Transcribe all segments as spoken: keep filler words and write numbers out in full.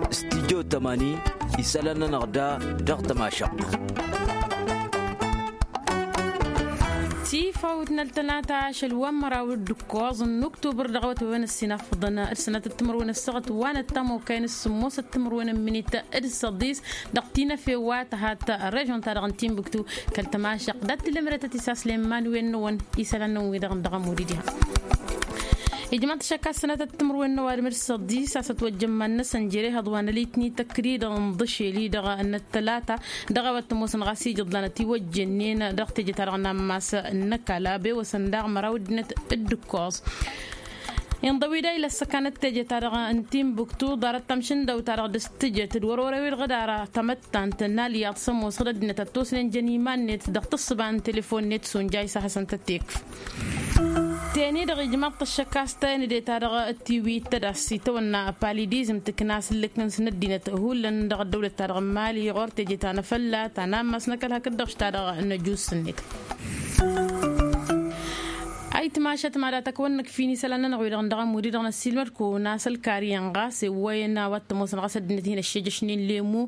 Stijjo tămani isălan-nănăɣ da dăɣ-tămašăɣt. Tifawt n-ăltănata ašăl wa n-măraw d-ǝkkoẓ n-uktubăr dăɣ-awătwăwen ăssinafăḍăn d-sănatăt timǝrwen ăssaɣăt wa n-ăttam okăyăn s-sǝmmosăt timǝrwen n-minit d-săḍis dăɣ-tinăfe wa tăhat režon-ta-dăɣ n-timbuktu kăl-tămašăɣt dat-tǝlǝmrătăt isaslen iman-wen-năwăn isălan-năwăn wi-dăɣ n-dăɣ ămud-i diha. Ijmaḍ-t ašăk a-s sănatăt timǝrwen n-ăwadǝm d-săḍis a-s ătwăjjăn iman-năsăn jere ihăḍ wa n-ălitni tăkridăɣ n-iḍǝšel-i-dăɣ n-ăttălata dăɣ-a-wa t-ămoosăn ɣas ijǝḍlan ătiwăjjănnen dăɣ-teje-ta-dăɣ n-ammas n-ăkall a-be wăsăn daɣ măraw ăddinăt d-ǝkkoẓ. Inḍăw-dd a ila ăssăkanăt teje-ta-dăɣ n-timbuktu ḍarăt tamšǝndăw-ta-dăɣ dăɣ-s tǝjăt d-wăr-wăr-ewilɣǝd ara tamăttant n-alyaḍ s-ămoosăɣ d-ăddinăt ăttosnen jăn iman-net dăɣ-tǝssǝba n-telefon-net sunjay s-ad-hasăn-tăt-tekf. Teni-dăɣ ijmaḍ-t ăššăk a-s tayăn ede-ta-dăɣ tiwit tădas itawănna palidizm tǝkna asǝllǝk-nǝns n-ăddinăt hullan dăɣ-ăddăwlăt-ta-dăɣ n-mali ɣur-teje ta n-afălla ta n-ammas n-ăkall hakd-dăɣ š-ta-dăɣ n-ăjus-net. Ayǝtmašat mad-atăkk wăr nǝkf'-in isălan-nănăɣ wi-dăɣ n-dăɣ-ămud-i-dăɣ năssiilmăd-kăwăn a-s ălkar iyyăn ɣas ewwăyăn a-wa t-ămoosăn ɣas ăddinăt-hin-ăššejăšnen lemu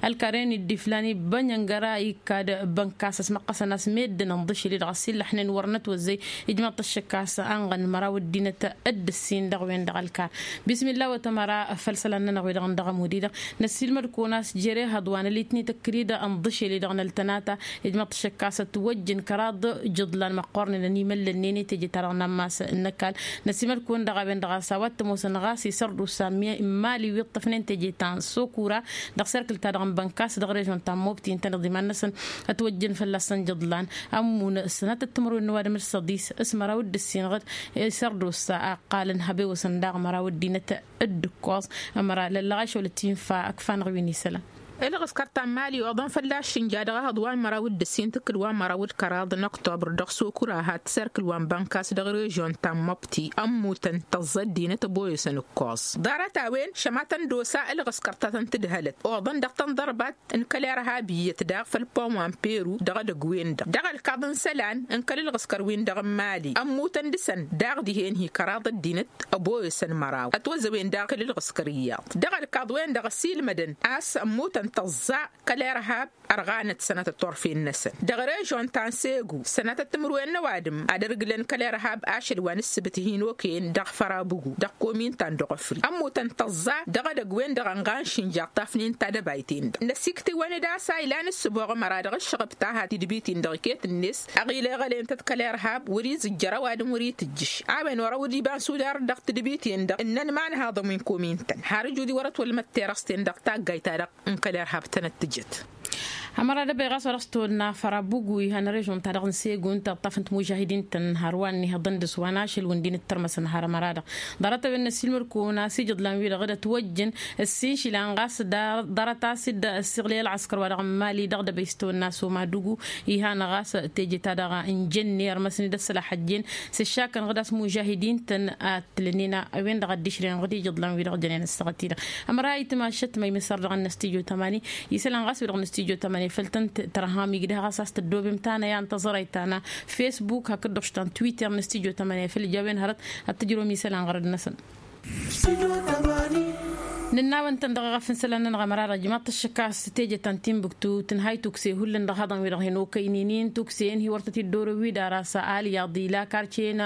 ălkar-en iddiflan ibbănyăngăra ikkad bănkas ăsmăqqăsăn a-s meddǝn ǝnḍǝšǝl-i-dăɣ ăssiillăḥnen wăr nătwăzzăy. Ijmaḍ-t ăššăk a-s ănɣăn măraw ăddinăt d-ǝssin dăɣ-wen-dăɣ ălkar. Bismillah wa tămăra făll-isălan-nănăɣ wi-dăɣ n-dăɣ-ămud-i-dăɣ năssiilmăd-kăwăn a-s jere ihăḍ wa n-ălitni tăkridăɣ ǝnḍǝšel-i-dăɣ n-ăltănata. Ijmaḍ-t ăššăk a-s ătwăjjăn kăraḍ ijǝḍlan măqqoornen ănimăllănnen i-teje-ta-dăɣ n-ammas n-ăkall. Năsimăd-kăwăn dăɣ-a-wen-dăɣ a-s a-wa t-ămoosăn ɣas isărdusa n-mali wi ǝṭṭăfnen teje ta n-sokura dăɣ-serkǝl-ta-dăɣ n-bănkas dăɣ-režon ta n-mobti ǝntăneḍ iman-năsăn. Ătwăjjăn fălla-săn ijǝḍlan ămmun sănatăt timǝrwen n-ăwadǝm d-săḍis s-măraw d-ǝssin ɣǝd isărdusa a ǝqqalăn hăbewăsăn daɣ măraw ăddinăt d-ǝkkoẓ. Ămăra lăllăɣ ašăl ătinfa ǝkfa-năɣ wi n-isălan. Ǝlɣǝskăr ta n-mali oḍăn fălla-s šǝnja dăɣ-ehăḍ wa n-măraw d-ǝssin tǝkkǝl wa n-măraw d-kăraḍ n-oktobăr dăɣ-sokura hat tiserkǝl wa n-bănkas dăɣ-režon ta n-măbti ămmutăn tăẓẓa ăddinăt ăboyăsăn ǝkkoẓ. Ḍarăt-a-wen šămatăn d-osa ǝlɣǝskăr ta tăn-tǝdhălăt oḍăn dăɣ-tăn-ḍărbăt n-kăl-irhab iyyăt daɣ făll-pom wa n-peru dăɣ-edăgg-wen-dăɣ dăɣ-ălkaḍ n-isălan n-kăl-ǝlɣǝskăr-win-dăɣ n-mali ămmutăn dăɣ-săn daɣ dihen-hi kăraḍ ăddinăt ăboyăsăn măraw ătwăzzăwen daɣ kăl-ǝlɣǝskăr iyyăḍ dăɣ-ălkaḍ-wen-dăɣ ăsiilmădăn a-s ămmutăn tăẓẓa kăl-irhab ărɣanăt sănatăt turfen-năsăn dăɣ-režon ta n-segu sănatăt timǝrwen n-ăwadǝm ad-ărgǝlăn kăl-irhab ašăl wa n-ǝssǝbǝt hin-okăyăn dăɣ-fărabugu dăɣ-komin ta n-dăɣ-ofri ămmutăn tăẓẓa dăɣ-edăgg-wen-dăɣ ănɣan šǝnjaɣ tafnen ta dăbayt-en-dăɣ năsiktǝwăn d-asayla n-ǝssǝboɣăm ăra dăɣ-ǝššăɣăb ta hat tidbit-in-dăɣ iket-net ăɣileɣăl-en-tăt kăl-irhab wăr-izǝjjăr ăwadǝm wăr-itǝjjǝš a-wen wăr-ăwǝd iba n-sudar dăɣ-tidbit-in-dăɣ ǝnnăn imanhaḍăn wi n-komin-tăn har ǝjud-i wăr-ătwălmăt terăst-en dăɣ-taggayt-ta-dăɣ n-kăl-irhab tănăt-tǝjăt. Ămăra d-ăbăyɣas wăr-ăstăwănna fărabugui han režon-ta-dăɣ n-segun tăṭṭăfăn timujahidin-tăn har wa n-ihăḍăn dăɣ-s wa n-ašăl wǝndin d-tărmăsăn har ămăra-dăɣ. Ḍarăt-a-wen n-ăssiilmăd-kăwăn a-s ijǝḍlan-wi-dăɣ d-ătwăjjăn ǝssin išilan ɣas ḍarăt-as-dd ăssiɣlăy ălɣăskăr-wa-dăɣ n-mali dăɣ-dăbăy s-tăwănna s-omadugu. Ihan ɣas teje-ta-dăɣ n-jănne ărmăsăn-dd ăssălaḥăjjen s-ǝššakăn ɣǝd a-s mužahidin-tăn ad-tǝlănnen a-wen-dăɣ ad-dd-išrǝyăn ɣǝd ijǝḍlan-wi-dăɣ jănen ăssaɣăt-i-dăɣ. Ămăra itmašăt ma imǝssăr dăɣ-năstijo tămani isălan ɣas wi-dăɣ năstijo tămani făll-tăn-tărham igdăh ɣas a-s tăddobem tanăya n-taẓărayt ta n-fesbuk hakd-dăɣ š-ta n-twitter năstijo tămani făll-jawen hărăt ad-tǝjrǝwăm isălan ɣărăd-năsăn. Nǝnna-wăn-tăn dăɣ-eɣăf n-isălan-nănăɣ ămăra-dăɣ ijmaḍ-t ăššăk a-s teje ta n-timbuktu tǝnhay tukse hullan dăɣ-ihăḍăn-wi-dăɣ hin-okăynen-in tukse-en hi-wăr tăt-dd-orăw-wi d-ara s-alyaḍ ila karce-en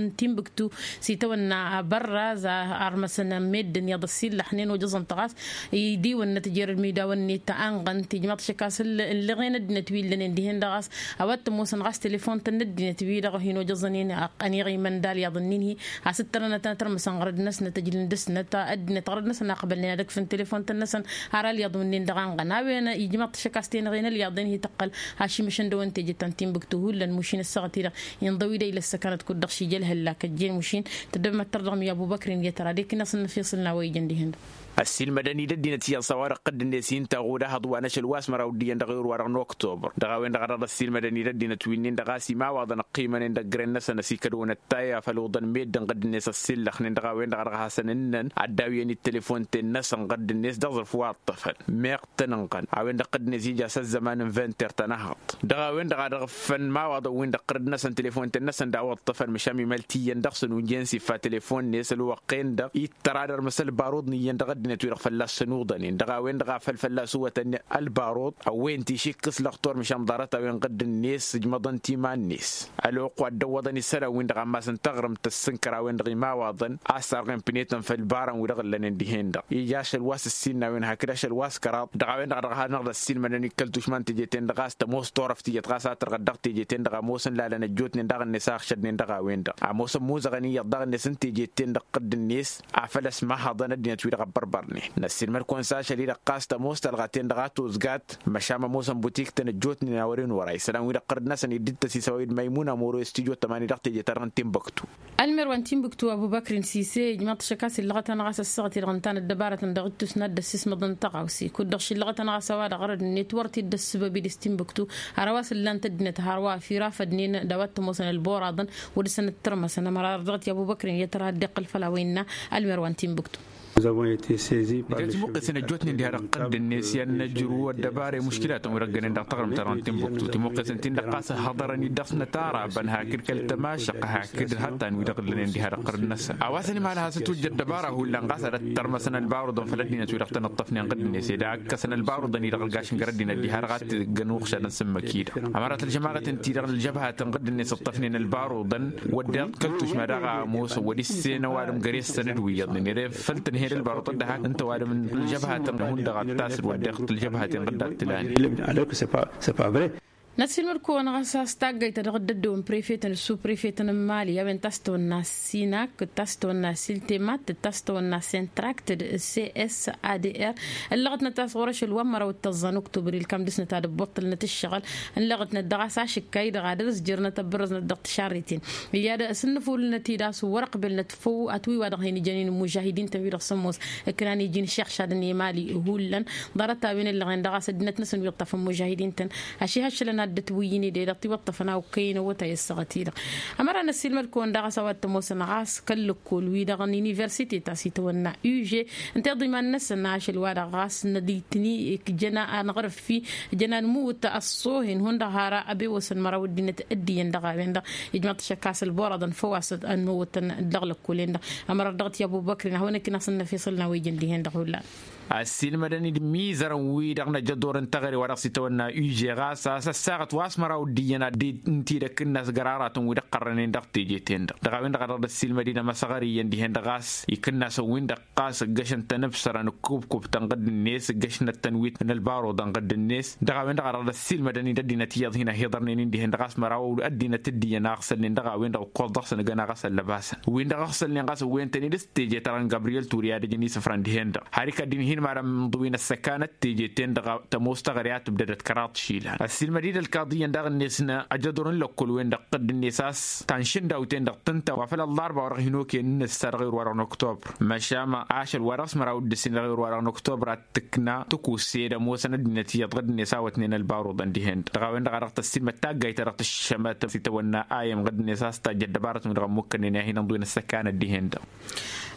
n-timbuktu s-itawănna bărraz a ărmăsăn meddǝn iyyăḍ ăssiillăḥnen ojăẓăn-t ɣas idiwăn n-ătjărăd midawăn-net anɣăn tijmaḍ-t ăššăk a-s ǝllăɣen ăddinăt wi ǝllănen dihen-dăɣ a-s a-wa t-ămoosăn ɣas telefon-tăn n-ăddinăt-wi-dăɣ hin-ojăẓăn-in ăniɣimăn d-alyaḍ-nin-hi a-s ǝttărăn ad-tăn-ătărmăsăn ɣărăd-năsnăt ăjlǝn dăɣ-snăt ăddinăt ɣărăd-năsăn a ăqbălnen ad-ǝkfǝn telefon-tăn-năsăn har alyaḍ wǝnnin-dăɣ anɣăn a-wen ijmaḍ-t ăššăk a-s tenăɣen alyaḍ-in hi-tăqqăl ašimǝšăn dăɣ-wăn teje ta n-timbuktu hullan mušin ăssaɣăt-i-dăɣ inḍăw-dd a ila ăssăkanăt kud-dăɣ šija ălhăllak ăjjeen mušin tăddăbmăt tărdăɣ mi-abubăkr-in i-tăra d-ekǝnna s-ănnăfiṣǝl n-a-wa ijăn dihen-dăɣ. Ăssiilmădăn-dd ăddinăt iyyăḍ s-a-wa-dăɣ tădd-net i-ǝnta ɣud ahăḍ wa n-ašăl wa s-măraw d-iyyăn dăɣ-ewăr-wa-dăɣ n-oktober dăɣ-a-wen-dăɣ a dăɣ-dd-ăssiilmădăn-dd ăddinăt wi-nin-dăɣ a-s imawaḍăn ăqqimănen dăgg-ren-năsăn ăsikădwăn ăttayya făll-oḍăn meddǝn ɣǝdd-net ăssillăxnen dăɣ-a-wen-dăɣ a dăɣ-hasăn-ǝnnăn ad-dd-awǝyăn-dd telefon-ten-năsăn ɣǝdd-net dăɣ-iẓrǝf wa ǝṭṭăfăn meɣ tăn-ǝnɣăn a-wen-dăɣ tădd-net ija s-ăzzăman n-vinter ta n-ehăḍ dăɣ-a-wen-dăɣ a dăɣ-ǝffăn imawaḍăn-win-dăɣ ɣǝrǝd-năsăn telefon-ten-năsăn d-a-wa ǝṭṭăfăn măšan mi măltǝyyăn dăɣ-săn ujen s-ifa telefon-net ălwăqq-en-dăɣ ittăr ad-ărmăs ălbarud n-iyyăn dăɣ-dd ăddinăt-wi-dăɣ fălla-s ănuḍănen dăɣ-a-wen-dăɣ a făl fălla-s uwătăn ălbaruḍ. A-wen ti-išikk s-lăxtur măšan ḍarăt-a-wen ɣǝdd-net s-ǝjmăḍăn timan-net. Ălwăqq wa dd-ăwwăḍăn isălan-win-dăɣ ammas n-taɣrǝmt tăssǝnkăr a-wen-dăɣ imawaḍăn a-s sarɣen pinetăn făll-ibarăn wi dăɣ-ǝllănen dihen-dăɣ ija ašăl wa s-ǝssinna a-wen hakd ašăl wa s-kăraḍ dăɣ-a-wen-dăɣ a dăɣ-hanăɣ-dd ăssiilmădăn ikăl tušma n-teje-ten-dăɣ a-s tămoos turăft iyyăt ɣas a tărɣăt dăɣ-teje-ten-dăɣ ămoosăn lalăn ăjjootnen daɣ-net a ăɣšădnen dăɣ-a-wen-dăɣ ămoosăn imuzăɣăn iyyăḍ daɣ-net n-teje-ten-dăɣ ɣǝdd-net. Afăl ăsmahăḍăn ăddinăt-wi-dăɣ ăbbărbărnen năssiilmăd-kăwăn s-ašăl-i-dăɣ ɣas tămoos tălɣa-ten-dăɣ a tozgat. Măšan ămoosăn butik-tăn ăjjootnen a wăren wăr-a isălan-wi-dăɣ ɣărd-năsăn iddǝttăs isăwăy d-măymuna moro i-studyo tămani dăɣ-teje-ta-dăɣ n-timbuktu. Ălmer wa n-timbuktu ăbubăkrin sise ijmăḍ-t šăkkas illăɣăt-anăɣ a-s ăssaɣăt-i-dăɣ ǝnta n-ăddăbarătăn dăɣ-ittus n-ad-dăssis măḍăn tăɣawse kud-dăɣ šillăɣăt-anăɣ a-s ăwadăɣ ărăd-net wăr t-dd-ăssǝbăb-dd s-timbuktu. Hărwa s-ǝllan-t ăddinăt hărwa firafădnen d-a-wa t-ămoosăn ălbor aḍăn. Wăr dăɣ-săn ǝttărmăsăn ămăra dăɣ-t i-ăbubăkrin i-ad-tăra dd-iqqăl făll-a-wa innă ălmer wa n-timbuktu. Nǝjrăt imuqqesăn ăjjootnen diha-dăɣ ɣǝdd-net i-ad-nǝjru ăddăbara i-muškilatăn wi dăɣ-gănen dăɣ-taɣrǝmt-ta-dăɣ n-timbuktu timuqqesăn-tin-dăɣ ɣas ăhhăḍărăn-dd dăɣ-s nătara băn hakd kăl-tămašăq hakd hăttan wi dăɣ-ǝllănen diha-dăɣ ɣǝrǝd-năsăn a-wa săn imal has-ătwǝjja ăddăbara hullan ɣas ad-ăttărmăsăn ălbaruḍăn făll-ăddinăt wi dăɣ-tăn-ǝṭṭăfnen ɣǝdd-net ed a ǝkkăsăn ălbaruḍăn-i-dăɣ ălgašăn gar ăddinăt diha-dăɣ a t-ǝggăn uɣšadăn s-ǝmmǝk-i-dăɣ ămărat ălžămaɣăt ǝnta-i-dăɣ ălžăbhatăn ɣǝdd-net ǝṭṭăfnen ălbaruḍăn. Wădden kăl-tušma daɣ a ămoos wăr-issen ăwadǝm găre-săn d-wi iyyăḍnen ere făl tǝnhed ălbaruḍ ad-dăhak ǝnta ăwadǝm n-ălžăbhatăn hundăɣ ad-tasǝd wădden ălžăbhaten ɣǝdd ad-tǝlanen. Năssiilmăd-kăwăn ɣas a-s taggayt ta dăɣ-dd-ăddăwăn prefetăn d-suprefetăn n-imali a-wen ta s-tăwănna sinak ta s-tăwănna siltemat ta s-tăwănna sentrakt d-cssadr. Ǝllăɣătnăt a-s ɣur-ašăl wa n-măraw d-tăẓẓa n-oktobăr ilkam dăr-snăt ad-ǝbbuṭṭălnăt ǝššăɣǝl ǝllăɣătnăt dăɣ-a-s ašǝkkay-dăɣ ad-ărzjărnăt ăbbărăznăt dăɣ-tišarreten. Iyya d-sǝnnǝfulnăt-dd a-s wăr-ăqbelnăt făw atwǝy wa dăɣ-hin-ǝjăn i-inǝmmužahidin-tăn wi-dăɣ s-ămoos ǝknan iji n-išixšadăn i-mali hullan. Ḍarăt-a-wen ǝllăɣen dăɣ-a-s ăddinăt-năsăn wi ǝṭṭăfăn mužahidin-tăn ašihăššălăn ad-dd-ătwǝyyǝn ed ed ăṭṭiwăṭṭăfăn a okăyăn ăwwătay ăssaɣăt-i-dăɣ. Ămăra n-ăssiilmăd-kăwăn daɣ a-s a-wa t-ămoosăn ɣas kăl-lăkkol-wi-dăɣ n-universite ta s-itawănna uže ǝnta iḍa iman-năsăn ašăl-wa-dăɣ ɣas n-ăditni ǝjăn anɣărăf-i ǝjăn anmǝwǝt ăṣṣoohen hundăɣ har ăbewăsăn măraw ăddinăt dd-iyyăn dăɣ-a-wen-dăɣ. Ijmăḍ-t šăkkas ălbor aḍăn făw-as ănmǝwǝtăn dăɣ-lăkkol-en-dăɣ ămăra dăɣ-t i-ăbubăkrin ad-hawăn-ăkk n-asăn n-efeṣăl n-a-wa ijăn dihen-dăɣ hullan. Ăssiilmădăn-dd imizărăn-wi-dăɣ n-ajăḍor n-teɣăre wa dăɣ-s itawănna uže ɣas a-s ăssaɣăt wa s-măraw dd-iyyăn ad-dd-intidăkk n-asgăraratăn wi dăɣ-qărrănen dăɣ-teje-ten-dăɣ dăɣ-a-wen-dăɣ a dăɣ-dd-ăssiilmăd-in amăsăɣăr iyyăn dihen-dăɣ a-s ikǝnnasăn-win-dăɣ ɣas ǝggăšăn-tăn ǝbsărăn ǝkkubkubtăn ɣǝdd-net ǝggăšnet-tăn wi n-ălbaruḍăn ɣǝdd-net. Dăɣ-a-wen-dăɣ a dăɣ-dd-ăssiilmădăn-in ăddinăt iyyăḍ hin-ăhiḍărnen-in dihen-dăɣ a-s măraw ăddinăt dd-iyyăn a ăɣsălnen dăɣ-a-wen-dăɣ ǝkkoẓ dăɣ-săn ǝgăn a ɣas ăllăbasăn win-dăɣ ăɣsălnen ɣas ǝwwăyăn-tăn-dd s-teje-ta-dăɣ n-gabriyel ture i-ad-ăjăn isǝfran dihen-dăɣ har ikad-dd-inhin imalăn imḍǝw-in ăssăkanăt teje-ten-dăɣ. Tămoos teɣăre a tǝbdădăt kăraḍ išilan ăssiilmăd-dd ălkaḍi iyyăn daɣ-net n-ajăḍur n-lăkkol-wen-dăɣ ɣǝdd-net a-s ta n-išǝndaw-ten-dăɣ tǝnta wa făl ăllarba wa dăɣ-hin-okăyăn n-ǝssa dăɣ-ewăr wa-dăɣ n-oktobr. Măšan ašăl wa dăɣ-s măraw d-ǝssin dăɣ-ewăr wa dăɣ-n oktobr ad-tǝkna tǝkusse d-ămoosăn ăddinăt iyyăḍ ɣǝdd-net a wătnen ălbaruḍăn dihen-dăɣ dăɣ-a-wen-dăɣ a dăɣ-tăssiilmăd taggayt ta dăɣ-tǝššămăt s-itawănna a i-ămɣǝd-net a-s tajja ăddăbarătăn wi-dăɣ ămmukkănnen i-ad-hin-ǝnḍǝwǝn ăssăkanăt dihen-dăɣ.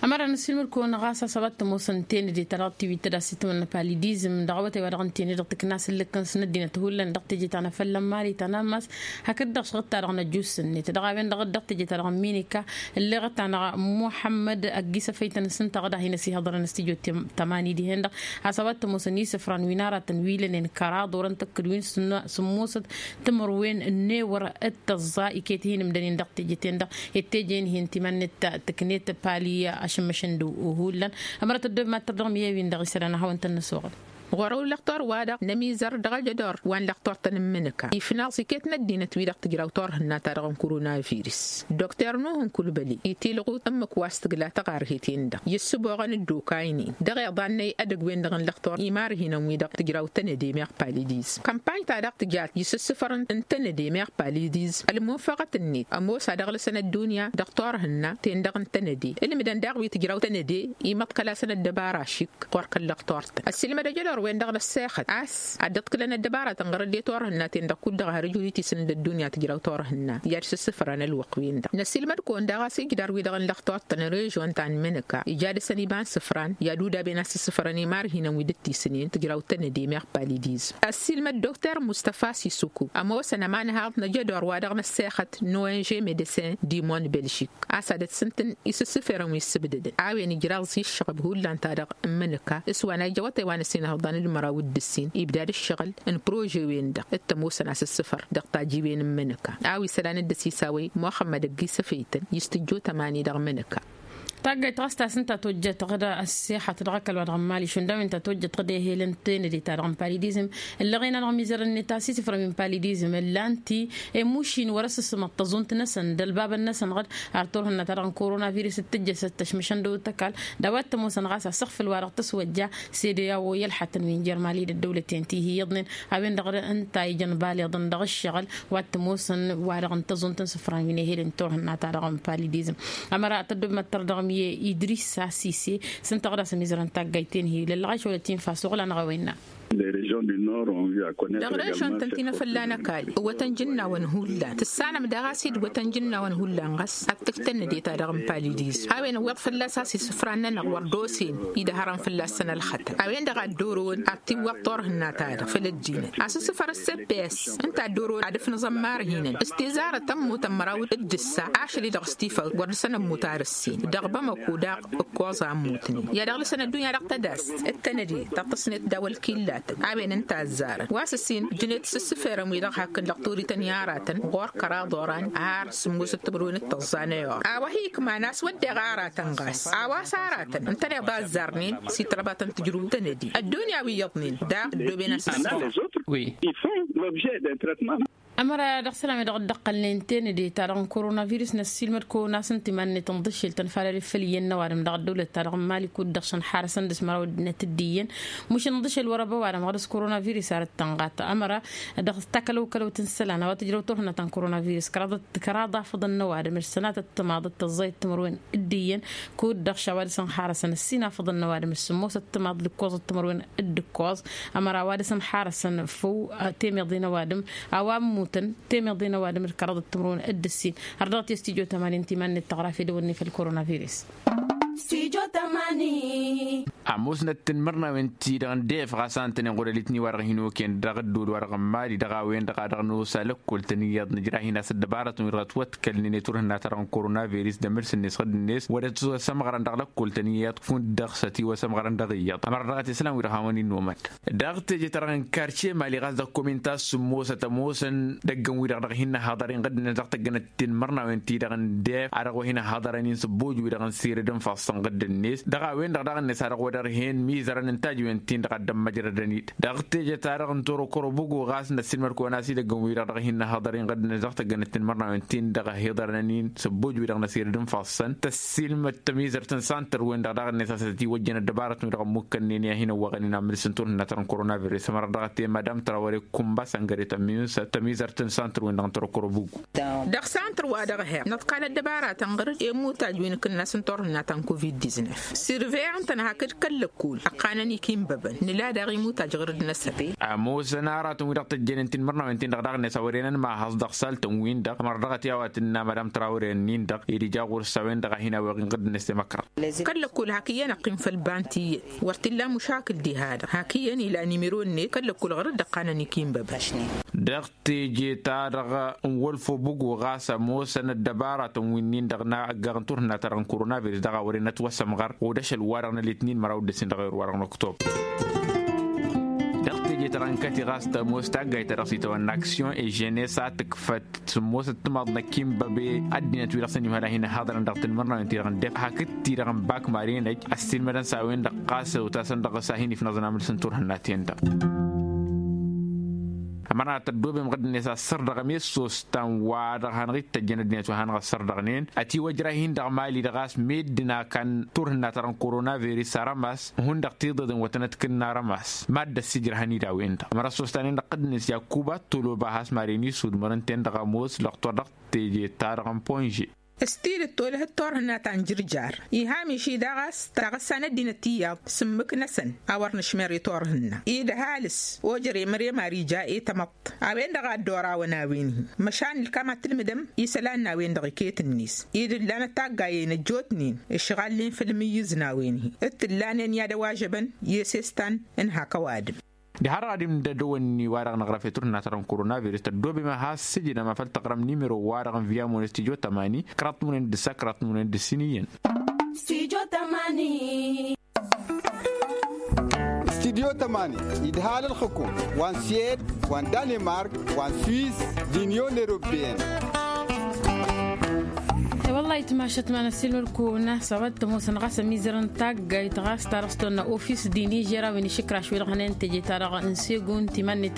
Ămăra n-ăssiilmăd-kăwăn ɣas a-s a-wa t-ămoos n-tenăde ta dăɣ-tiwit ta d-asǝtmăn n-palidizm dăɣ-awătay wa dăɣ-n tenăde dăɣ-tǝkna asǝllǝk-kăn s-năddinăt hullan dăɣ-teje ta n-afălla n-mali ta n-ammas. Hakd-dăɣ šăɣǝt-ta-dăɣ n-ăjus-net dăɣ-a-wen-dăɣ dd-dăɣ-teje-ta-dăɣ n-minika. Ǝlleɣăt-anăɣ muḥămmăd ăgg-isăfăy-tăn s-ǝnta a dăɣ-hin-ăsihăḍărăn s-tijot tămani dihen-dăɣ. A-s a-wa t-ămoosăn isǝfran wi n-aratăn wi lănen kăraḍ orăn tăkkǝd wi n-sǝmmosăt timǝrwen n-ewăr d-tăẓẓa iket hin-ǝmdănen dăɣ-teje-ten-dăɣ. Ed teje-in-hin timannet tǝknet pali ašǝmmăšăn d-hullan. Ămărăt ăddoob mad-tărdăɣ miye-win-dăɣ isălan ad-hawăn-tăn-năsoɣăl. Ɣur-ăw lăxtor-wa-dăɣ n-ămizăr dăɣ-ajădor wa n-lăxtor-tăn n-imǝnǝka ifnaẓ iket n-ăddinăt-wi-dăɣ tǝjraw turhǝnna-ta-dăɣ n-koronavirus. Dokter nuh n-kulbăli itilɣut ǝmmǝk wa s-tǝgla taɣarhet-en-dăɣ i-ǝssǝboɣăn dd-okaynen dăɣ-iḍannăy edăgg-wen-dăɣ n-lăxtor imarhinăn-wi-dăɣ tǝjraw tănăde meɣ palidizm kămpany-ta-dăɣ tǝjat i-sǝssǝfăr n-tănăde meɣ palidizm ălmunfăɣăt-net ămoos ad-ăɣlăsăn ăddunya dăɣ-turhǝnna-ten-dăɣ n-tănăde ǝlmǝdăn daɣ wi tǝjraw tănăde imăḍkăl-asăn ăddăbara ašik ɣur-kăl-lăxtor-tăn ăssiilmăd ăjădor. Ălxăḍăr-wen-dăɣ n-ăssexăt a-s ad-dd-ǝḍkǝlăn ăddăbarătăn ɣur-dd i-turhǝnna-ten-dăɣ kud-dăɣ har ǝjud itisǝn d-ăddunya tǝjraw turhǝnna i-ad-sǝssǝfrăn ălwăqq-wen-dăɣ n-ăsilmăd-kăwăn daɣ a-s ijder wi-dăɣ n-lăxtoḍt n-režon ta n-imǝnǝka ija dăr-săn iba n-isǝfran i-ad-udaben a-s ǝssǝfrăn i-imarhinăn wi dd-tisǝnen tǝjraw tănăde meɣ palidizm. Ăssiilmăd dokter mustăfa sisuku ămoosăn ămanhaḍ n-ajădor wa dăɣ-năssexăt n-ong medecin dimon belžik a-s ad-ăssǝntǝn isǝssǝferăn wi ǝssǝbdădăn a-wen ijraẓ i-ǝššăɣb hullan-ta-dăɣ n-imǝnǝka s-wa n-a ija awătay wa n-ăsinăhăḍăn d-măraw d-ǝssin ibdad ǝššăɣǝl n-prože-wen-dăɣ d-tămoosăn asǝssǝfăr dăɣ-tajiwen n-imǝnǝka a-wa isălan d-ăsisawăy muxămmăd ăgg-isăfeytăn i-s tǝjjo tămani dăɣ-imǝnǝka. Taggayt ɣas ta s-ǝnta tojjăt ɣǝd ăssexăt dăɣ-ăkall wa dăɣ-mali šund a-wen ta tojjăt ɣǝd ehel n-tenăde-ta-dăɣ n-palidizm ǝllăɣen-anăɣ mizărăn-net a-s isǝfrăn wi n-palidizm ǝllan-t i-mušin wăr-ăssǝsmăḍ tăẓunt-năsăn d-ălbabăn-năsăn ɣǝd ar turhǝnna-ta-dăɣ n-korona virus d-tǝjjăsăt tăšmǝšăn dăw-t ăkall d-a-wa t-ămoosăn ɣas asǝɣfǝl-wa-dăɣ tăswăjja s-ede a-wa i-ălxătăn wi n-jer-mali d-ăddăwlăten ti hi-iyyăḍnen a-wen-dăɣ ǝnta a ijăn baliḍăn dăɣ-ǝššăɣǝl wa t-ămoosăn wa-dăɣ n-tăẓunt n-isǝfran wi n-ehel n-turhǝnna-ta-dăɣ n-palidizm. Ămăra tăddob măttăr dăɣ-mi idris asise s-ǝnta ɣǝd a-s ămizărăn taggayt-en hi-lăllăɣ a išolăt infa s-oɣlan ăɣăwăyna. Dăɣ-režon-tăn ti n-afălla n-ăkall ǝwwătăn jǝnnawăn hullan tǝssanăm daɣ a-s dd-wătăn jǝnnawăn hullan ɣas ad-tǝjj tănnăde-ta-dăɣ n-palidizm a-wen ǝwweḍ fălla-s a-s isǝfran-nănăɣ wăr dd-osen idăhărăn fălla-săn ălxătăn a-wen-dăɣ a dd-orăwăn ad-t-iwwăḍ turhǝnna-ta-dăɣ făll-ăddinăt asǝssǝfăr s-cps ǝnta a dd-orăwăn ad-ǝfnǝẓăn marhinăn s-tizarăt ămmutăn măraw d-ǝssa ašăl-i-dăɣ s-tifăw wăr dăr-săn ămmut ar ǝssin dăɣ-bamăko daɣ ǝkkoẓ a ămmutnen i-ad-ăɣlǝsăn ăddunya dăɣ-tădast d-tănăde ta t-tăsnet daw-ălkillatăn a-wen ǝnta a ăzzarăn wa s-ǝssin jǝnet s-ǝssǝferăn wi-dăɣ hakd lăqturităn i-aratăn ɣur-kăraḍ oran har sǝmmosăt timǝrwen d-tăẓẓa n-ayor a-wa hi-ikman a-s wădden aratăn ɣas a-wa s-aratăn ǝntăneḍ a ăzzarnen s-itrăbatăn tǝjrǝw tănăde ăddunya wi iyyăḍnen daɣ ăddooben a-s ǝssǝfra. Wi. Ămăra dăɣ-isălan-wi-dăɣ dd-ăqqălnen tenăde-ta-dăɣ n-korona virus n-ăssiilmăd-kăwăn a-s ǝnta iman-net n-iḍǝššel tănfalăl făll-iyyăn n-ăwadǝm dăɣ-ăddăwlăt-ta-dăɣ n-mali kud-dăɣ šăn xarăsăn dăɣ-s măraw ăddinăt d-iyyăn mušǝn iḍǝššel wăr-ăba ăwadǝm ɣur-dăɣ s-korona virus ar ǝttănɣat ămăra dăɣ-takălăw-kălăwt n-isălan a-wa tǝjrăw turhǝnna ta n-korona virus kăraḍ afăḍăn n-ăwadǝm d-sănatăt timaḍ d-tăẓẓayăt timǝrwen d-iyyăn kud-dăɣ š-a-wa dăɣ-săn xarăsăn ăssin afăḍăn n-ăwadǝm d-sǝmmosăt timaḍ d-ǝkkoẓăt timǝrwen d-ǝkkoẓ ămăra a-wa dăɣ-săn xarăsăn făw temeḍe n-ăwadǝm a-wa ămmutăn temeḍe n-ăwadǝm d-kăraḍăt timǝrwen d-ǝssin. Har dăɣ-t i-s tijot ămani n-timan-net tăɣra fedăwănne făll-koronavirus. Ămoosnăt tinmărnawen-ti-dăɣ n-def ɣas a ǝntănen ɣur-elitni wa dăɣ-hin-oken dăɣ-ăddol wa dăɣ-n mali dăɣ-a-wen-dăɣ a dăɣ-nosa lăkkol-tăn iyyăḍ nǝjrah-in a-s ăddăbarătăn wi dăɣ-ătwătkălnen i-turhǝnna-ta-dăɣ n-korona virus d-emǝrs-net ɣǝdd-net wăr-ătwăsămɣărăn dăɣ-lăkkol-tăn iyyăḍ fund-dăɣ s-ătiwăsămɣărăn dăɣ-iyyăḍ ămăra dăɣ-t isălan wi-dăɣ hawăn-in-nomăd. Dăɣ-teje-ta-dăɣ n-karce mali ɣas dăɣ-komin ta s-sǝmmosăt ămoosăn dăgg-ǝnwi-dăɣ dăɣ-hin-năhaḍăr-in ɣǝddǝnet dăɣ-tăggănăt tinmărnawen-ti-dăɣ n-def a dăɣ-wa hin-ăhaḍărăn-in sǝbbuj wi-dăɣ n-sirǝd n-ifassăn ɣǝddǝnet dăɣ-a-wen-dăɣ daɣ-net a dăɣ-wăr-ărhen mizărăn n-tajǝwen-tin-dăɣ a dd-ămmăjrădăn-dd dăɣ-teje-ta-dăɣ n-torokoro bǝgu ɣas n-ăssiilmăd-kăwăn a-s idăgg-ǝnwi-dăɣ dăɣ-hin-năhaḍăr-in ɣǝddǝnet dăɣ-tăggănăt tinmărnawen-tin-dăɣ ăhiḍărăn-in sǝbbuj wi-dăɣ n-asirǝd n-ifassăn tăssiilmăd tămizărt n-santăr-wen-dăɣ daɣ-net a-s ătătiwăjjăn ăddăbarătăn wi-dăɣ ămmukkănnen i-ad-hin-ăwwăɣăn-in amǝlǝs n-turhǝnna ta n-koronavirus ămăra dăɣ-t i-madam trawăre kumba săngăre tămizărt n-santăr-wen-dăɣ n-tărăkăro bǝggu. Dăɣ-santăr wa dăɣ-her năḍkal ăddăbaratăn ɣăr-dd i-mutaj wi n-akǝnnas n-turhǝnna ta n-covid-diznef sirveɣăn-tăn hakd kăl-lăkkul ăqqanăn ikinbăbăn nǝla daɣ i-mutaj ɣăr-dd-năsăn. Ămoosăn aratăn wi-dăɣ tăjjănen tinmărnawen-tin-dăɣ daɣ-net a wăren ănmahăẓ dăɣ-saltăn-win-dăɣ ămăra dăɣ-t i-a-wa tǝnna madam trawăre-nin-dăɣ ed ija ɣur-s a-wen-dăɣ a hin-awăɣ inɣǝd-net i-măkra. Kăl-lăkkul hak iyyăn ăqqim făll-banti iyyăn wăr t-illa mušakǝl diha-dăɣ hak iyyăn ila nimiro-net kăl-lăkkul ɣur-dd ăqqanăn ikinbăbăn. Dăɣ-teje-ta-dăɣ n-wălfo bǝgo ɣas ămoosăn ăddăbaratăn wi-nin-dăɣ n-aggaɣ n-turhǝnna-ta-dăɣ n-koronavirus dăɣ-a wăren ătwăsămɣăr ɣud ašăl-wa-dăɣ n-elitnin măraw d-ǝssin dăɣ-ewăr wa-dăɣ n-oktob. Dăɣ-teje-ta-dăɣ n-kăti ɣas tămoos taggayt-ta-dăɣ s-itawănna aksyon eženes a tǝkfăt sǝmmosăt timaḍ n-akinbăbe ăddinăt wi-dăɣ s-ănimhăl a hin-ăhaḍărăn dăɣ-tinmărnawen-ti-dăɣ n-def hakd-ti-dăɣ n-bak marăynăj ăssiilmădăn s-a-wen-dăɣ ɣas ăwtasăn dăɣ-s a hin-ifnăẓăn amǝlǝs n-turhǝnna-ten-dăɣ. Ămăra tăddobem ɣǝddǝnet a ăssărdăɣăm i-ăssos ta n-wa-dăɣ hanăɣ-ittăjjăn ăddinăt wa hanăɣ-ăssărdăɣnen ătiwăjrah-in dăɣ-mali-dăɣ a-s meddǝn a kan turhǝnna-ta-dăɣ n-koronavirus arămas hundăɣ tiḍeḍen wa tăn-ătkǝnna arămas mad-dd-ăssijrăhăn-dd a-wen-dăɣ ămăra ăssostanen dăɣ-tăddǝnet yakuba toloba a has-maren isudmăr ǝnta-en-dăɣ ămoos lăqtor dăɣ-teje-ta-dăɣ n-ponže. S-tidǝt tolăhăt turhǝnna ta n-jǝrjar iha miši daɣ a-s taɣǝssa n-ăddinăt iyyăḍ s-ǝmmǝk-năsăn a wăr nǝšmer i-turhǝnna-i d-ăhalǝs. Ojăr i-mărem ar ija i-tamăḍt a-wen-dăɣ a dd-orawăn a-wen-hi măšan ǝlkam ad-tǝlmǝdăm isălan n-a-wen-dăɣ iket-net-i d-ǝllanăt taggayen ăjjootnen ǝšɣalnen făll-imǝyyǝz n-a-wen-hi d-tǝllanen i-ad-ăwažăbăn i-esestan n-hak ăwadǝm. Diha-dăɣ ad-imdădăwăn-ni wa-dăɣ năɣrăf i-turhǝnna ta dăɣ-n koronavirus tăddoobem ad-has-sǝjdăm a făl tăɣrăm nimero-wa-dăɣ n-viamon studio tămani kăraḍ tǝmǝnăyăn d-ǝssa kăraḍ tǝmǝnăyăn d-ǝssin iyyăn. Studio tămani idhal ǝlxǝkum wa n-sued wa n-danemark wa n-suis d-inyon eropeyăn. Wăllah itmašăt ma n-ăssin wăr-kăwăn-asăbăt tămoosăn ɣas ămizărăn taggayt ɣas ta dăɣ-s tonna ofis d-inižer a-wen išǝkraš wi-dăɣ hănen teje-ta-dăɣ n-segun timănnit.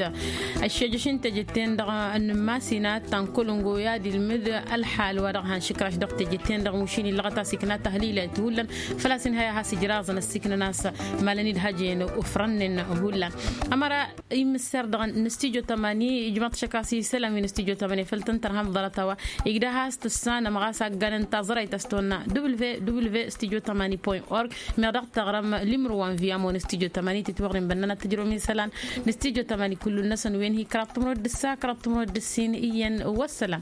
Ăššejăš n-teje-ten-dăɣ n-masina ta n-kălăngo i-ad-ilmǝd ălxal wa dăɣ-han išǝkraš dăɣ-teje-ten-dăɣ mušin illăɣăt a-s ikna tahlilayt hullan. Făl-a-s inhăy a has-ijraẓăn ăssiiknăn a-s malăn-dd hăjăyăn ufrănnen hullan. Ămăra imǝsser-dăɣ n-studio tămani ijmaḍ-t šăkk a-s isălan wi n-studio tămani făll-tăn-tărhăm ḍarăt a-wa igdăh a-s tǝssanăm ɣas agganăn taẓrăyt a-s tonna www studio tămani point org. Meɣ dăɣ-tăɣrăm limru wa n-viamon studio tămani titwăɣrin bănnăn ad-tǝjrăwăm isălan n-studio tămani kullu-năsăn wen-hi kăraḍ tǝmrăwăt d-ǝssa kăraḍ tǝmrăwăt d-ǝssin iyyăn. Wăssălam.